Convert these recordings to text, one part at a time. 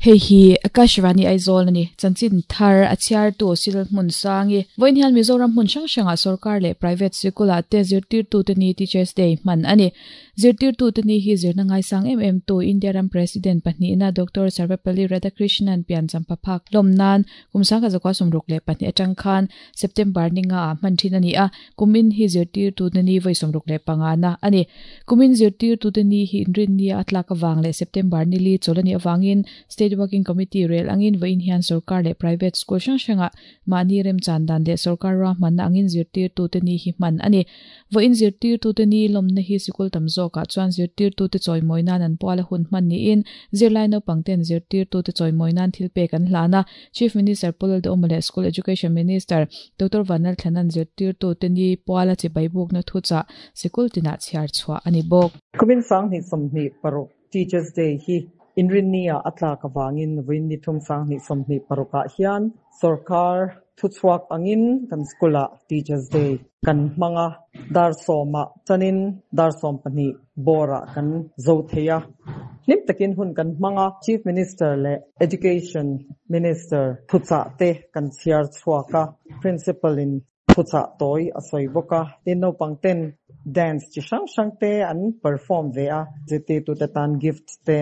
Hei hi Akashvani Aizawl a ni. Chanchin thar a chhiartu Sil Hmunsangi. Vawiin hian Mizoram hmun hrang hrangah sorkar leh private sikulah te zirtirtute ni Teachers Day hman a ni. Zirtirtute ni hi zirna ngaisang em em tu India ram President pahnihna Doctor Sarvepalli Radhakrishnan pian champha phak hlawm nan kum 1962 atang khan September ni nga ah hman thin a ni a, kumin hi zirtirtute ni vawi 65 na a ni. Kumin zirtirtute ni hi inrinnia a tlak avang leh September ni li chawl a nih avangin State Working Committee rel angin vawiin hian sorkar leh private school hrang hrangah mahni remchan dan leh sorkar ruahmanna angin zirtirtute ni hi hman a ni. Vawiin zirtirtute ni lawmna hi sikul tam zawkah chuan zirtirtute chawimawi nan an pual a hun hman niin zirlai naupangten zirtirtute chawimawi nan thil pek an hlan a. Chief Minister Pu Lalduhawma leh School Education Minister Doctor Vanlalthlana'n zirtirtute ni puala chibai bukna thuchah sikul tinah chhiar chhuah a ni bawk. Kumin 2026 Teachers Day hi Inrinni-ah a tlak avangin vawiin ni thum 2026 ah hian sorkar thuchhuak angin kan school-ah Teachers Day kan hmang a, dar sawmah chanin dar 12 bawrah kan zo thei a, hlim takin hun kan hmang a. Chief Minister leh Education Minister thuchah te kan chhiar chhuak a, Principal-in thuchah tawi a sawi bawk a, tin naupang ten dance chi hrang hrang te an perform ve a, zirtirtute tan gift te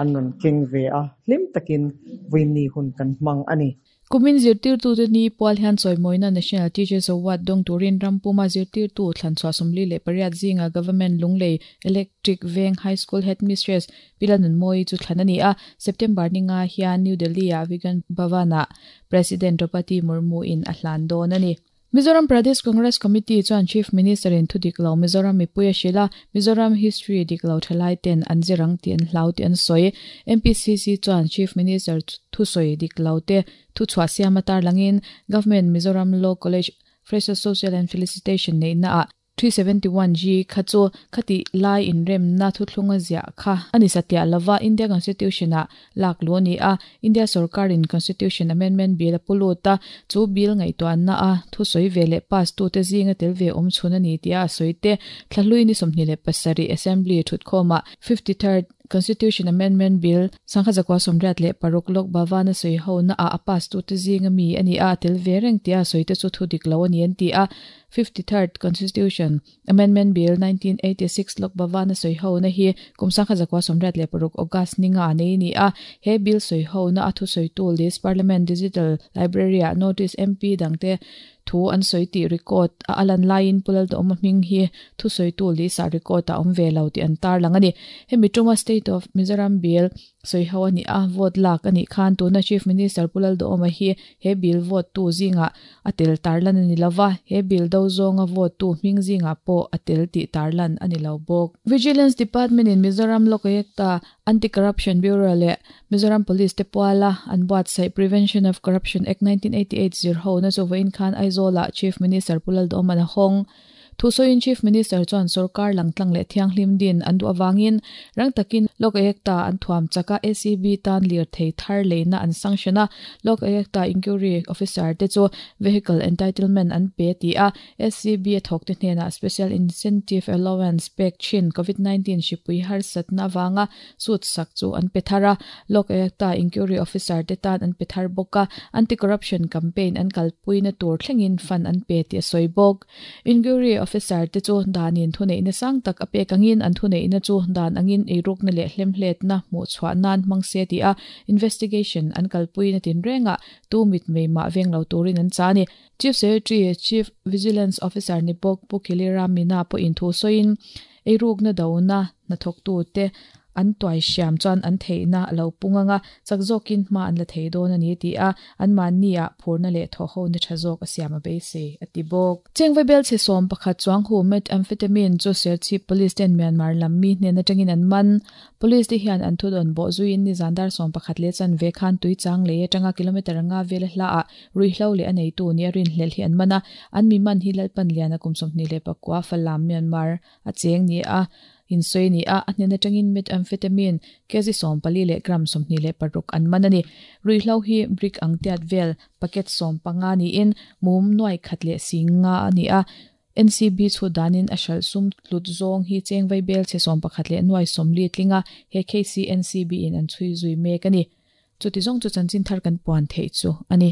an rawn keng ve a, hlim takin vawiinni hun kan hmang a ni. Kumin zirtirtute ni pual hian chawimawina National Teachers Award dawng turin ram puma zirtirtu thlanchhuah 48 zinga Government Lunglei Electric Veng High School Headmistress Pi Lalnunmawii chu thlan a ni a, September ni nga hian New Delhi-ah Vigyan Bhavan-ah President Draupadi Murmu-in a hlan dawn a ni. Mizoram Pradesh Congress Committee chuan Chief Minister-in thu dik lo Mizoram mipui a hrilh a, Mizoram history dik lo thalai ten an zir ang tih an hlau tih an sawi. MPCC chuan Chief Minister thusawi dik lo te thuchhuah siam a tarlangin Government Mizoram Law College Freshers Social and Felicitation neihnaah 371G kha chu khatih lai inremna thuthlunga ziah kha a ni satliah lova India Constitution-ah lak luh a ni a, India sorkarin Constitution Amendment Bill a pu lut a, chu bill ngaihtuahna a thusawi ve leh pass tute zinga tel ve awm chhun a ni tia a sawi te thlahlui ni 27 Assembly thutkhawmah 53rd Constitution Amendment Bill 1986 Lok Bhavan a sawi ho na ah a pass tute zinga mi a ni a, a tel ve reng tia a sawi te chu thu dik lo a ni an ti a. 53rd Constitution Amendment Bill 1986 Lok Bhavan a sawi ho na hi kum 1986 August ni nga nei a ni a. He bill sawi ho na a thusawitu list Parliament Digital Library ah notice MP dangte Thu an sawi tih record a a lan laiin Pu Lalduhawma hming hi thusawitu list ah record a awm ve lo tih an tarlang a ni. Hemi tuma State of Mizoram Bill sawi ho a nih a, vote lak a nih khan tuna Chief Minister Pu Lalduhawma hi he bill vote tu zingah a tel tarlan a ni lo va, he bill do zawnga vote tu hming zingah pawh a tel tih tarlan a ni lo bawk. Vigilance Department in Mizoram Lokayukta Anti-Corruption Bureau leh Mizoram Police te puala an buatsaih Prevention of Corruption Act 1988 zirhona chu vawiin khan Aizawl-ah Chief Minister Pu Lalduhawman a hawng. Thusawiin Chief Minister chuan sorkar langtlang leh thianghlim din an duh avangin rang takin Lok Ayukta an thuam chak a, ACB tan lirthei thar leina an sanction a, Lok Ayukta Inquiry Officer te chu Vehicle Entitlement an pe ti a, SCB a thawkte hnenah Special Incentive Allowance pek thin Covid 19 hripui harsatna avanga suit sak chu an pe thar a, Lok Ayukta Inquiry Officer te tan an pe thar bawk a, Anti-Corruption Campaign an kalpuina tur thlengin fund an pe tih a sawi bawk. Inquiry Officer te chu danin thuneihna sang tak a pek angin an thuneihna chu dan angin eirukna leh hlemhletna hmuhchhuah nan hmang se tih a investigation an kalpuina tinrengah tu mitmei mah veng lo turin an chah a ni. Chief Secretary, Chief Vigilance Officer ni bawk Pu Khilira Meena pawhin thu sawiin, eirukna dona hnathawktute an tuai hriam chuan an theihna a lo pung ang a, chak zawkin hma an la thei dawn a ni ti a, anmahniah phurna leh thawhhona tha zawk a siam a beisei, a ti bawk. Chengvai belchhe 11 chuang hu methamphetamine chu Serchhip Police ten Myanmar lam mi hnen atangin an man. Police te hian an thudawn bawh zuiin nizan dar 11 leh chanve khan tui chang lei atanga kilometre nga vela hlaah Ruihhlo leh a neitu nia rinhlelh hi an man a, an mi man hi Lalpan Liana kum 29 Falam, Myanmar a cheng ni a insawi a ni a, a hnen atangin methamphetamine kg 14 leh gram 26 an man a ni. Ruihhlo hi brick ang tiat vel packet 15 niin mum nuai khat leh sing nga a ni a, NCB chhut danin a hralh sum tlut zawng hi cheng vaibel chhe 11 leh nuai 40 tling a, he case hi NCB in an chhui zui mek a ni. Chuti zawng chu chanchin thar kan puan theih chu a ni.